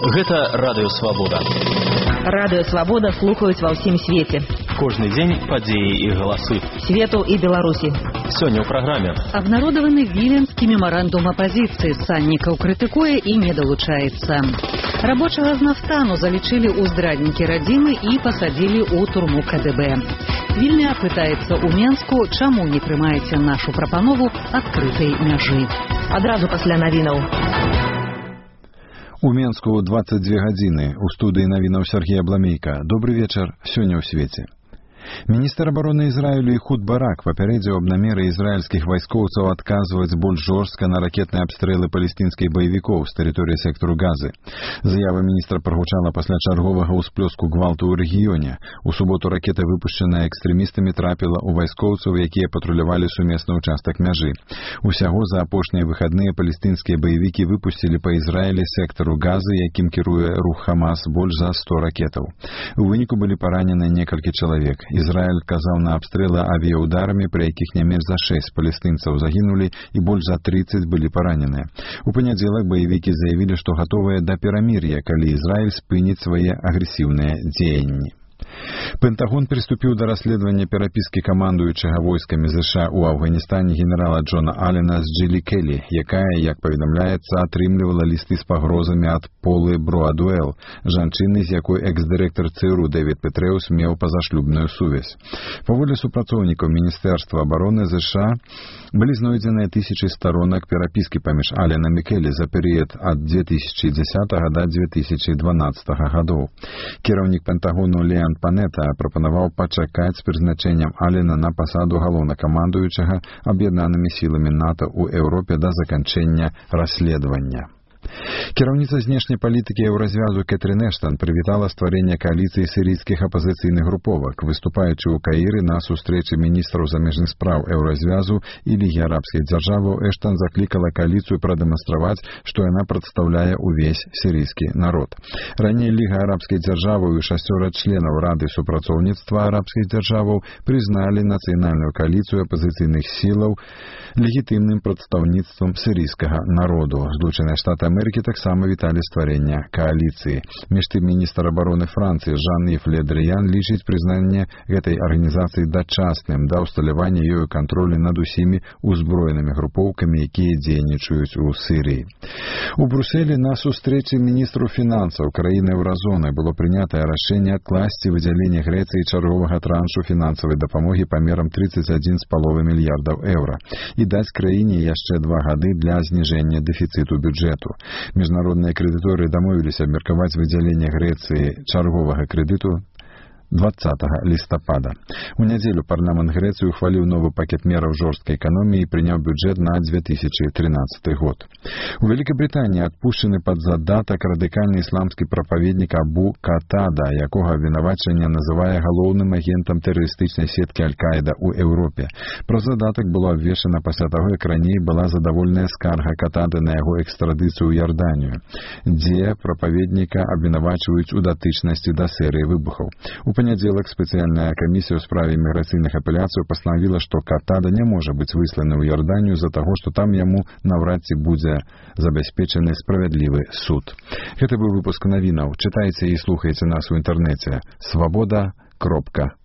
Гэта Радыё Свабода. Радыё Свабода слухаюць ва ўсім свеце. Кожны дзень падзеі і галасы Свету і Беларусі. Сёння ў праграме. Обнародованы Віленскі меморандум апозіцыі. Саннікаў крытыкуе і не далучаецца. Рабочага з нафтану залічылі ў здраднікі радзімы і пасадзілі ў турму КДБ. Вільня пытаецца ў Менску, чаму не прымаеце нашу прапанову адкрытай мяжы. Адразу пасля навінаў. У Менску 22 гадзіны. У студыі навінаў Сергей Абламейка. Добры вечар. Сёння ў свеце. Міністр абароны Ізраілю Эхуд Барак папярэдзіў аб намеры ізраільскіх вайскоўцаў адказваць больш жорстка на ракетныя абстрэлы палестынскіх баевікоў з тэрыторыі сектару Газы. Заява міністра прагучала пасля чарговага ўсплёску гвалту ў рэгіёне. У суботу ракета, выпушчаная экстрэмістамі, трапіла ў вайскоўцаў, якія патрулявалі сумесны ўчастак мяжы. Усяго за апошнія выхадныя палестынскія баевікі выпусцілі па Ізраілі сектару Газы, якім кіруе рух Хамас, больш за 100 ракетаў. У выніку былі паранены некалькі чалавек. Ізраіль казаў на абстрэлы авіяударамі, пры якіх не менш за 6 палестынцаў загінулі і больш за 30 былі параненыя. У панядзелак баевікі заявілі, што гатовыя да перамір'я, калі Ізраіль спыніць свае агрэсіўныя дзеянні. Пентагон приступіў да расследавання перапіскі камандуючага войскамі США ў Афганістане генерала Джона Аллена з Джилі Келлі, якая, як паведамляецца, атрымлівала лісты з пагрозамі ад Полы Броадуэл, жанчыны, з якой экс-дырэктар ЦРУ Дэвід Петрэус меў пазашлюбную сувязь. Паводле супрацоўнікаў Міністэрства абароны США былі знойдзеныя тысячы сторонак перапіскі паміж Алленам і Келлі за перыяд ад 2010 да 2012 гадоў. Кіраўнік Пентагону Леан Панета прапанаваў пачакаць з прызначэннем Аллена на пасаду галоўнакамандуючага аб'яднанымі сіламі НАТО ў Еўропе да заканчэння расследавання. Кіраўніца знешняй палітыкі Еўразвязу Кэтрин Эштан прывітала стварэнне кааліцыі сірыйскіх апазіцыйных груповак. Выступаючы ў Каіры на сустрэчы міністраў замежных спраў Еўразвязу і Лігі арабскіх дзяржаваў, Эштан заклікала кааліцыю прадэманстраваць, што яна прадстаўляе ўвесь сірыйскі народ. Раней Ліга арабскіх дзяржаваў і 6 членаў Рады супрацоўніцтва арабскіх дзяржаваў прызналі нацыянальную кааліцыю апазіцыйных сілаў легітымным прадстаўніцтвам сірыйскага народу. Злучаныя Штаты Амерыкі таксама віталі стварэння кааліцыі. Між тым, міністр абароны Францыі Жан-Ів Ле Дрыян лічыць прызнанне гэтай арганізацыі дачасным да ўсталявання ёю кантролю над усімі узброенымі групоўкамі, якія дзейнічаюць у Сірыі. У Брусэлі на сустрэчы міністру фінансаў краіны Еўразоны было прынятае рашэнне адкласці выдзяленне Грэцыі чарговага траншу фінансавай дапамогі памерам 31,5 мільярдаў еўра і даць краіне яшчэ 2 гады для зніжэння дэфіцыту бюджэту. Міжнародныя крэдыторы дамовіліся абмеркаваць выдзяленне Грэцыі чарговага крэдыту 20 лістапада. У нядзелю парламент Грэцыі ухваліў новы пакет мераў жорсткай эканоміі і прыняў бюджэт на 2013 год. У Вялікабрытаніі адпушчаны пад задатак радыкальны ісламскі прапаведнік Абу Катада, якога абвінавачванне называе галоўным агентам тэрарыстычнай сеткі Аль-Каіда ў Еўропе. Пра задатак было абвешчана пасля таго, як раней была задаволеная скарга Катады на яго экстрадыцыю ў Ярданію, дзе прапаведніка абвінавачваюць у датычнасці да серыі выбухаў. У панядзелак спецыяльная камісія ў справе міграцыйных апеляцыяў пастанавіла, што Катада не можа быць высланы ў Ярданію з-за таго, што там яму наўрад ці будзе забяспечаны справядлівы суд. Гэта быў выпуск навінаў. Чытайце і слухайце нас у інтэрнэце. Свабода.орг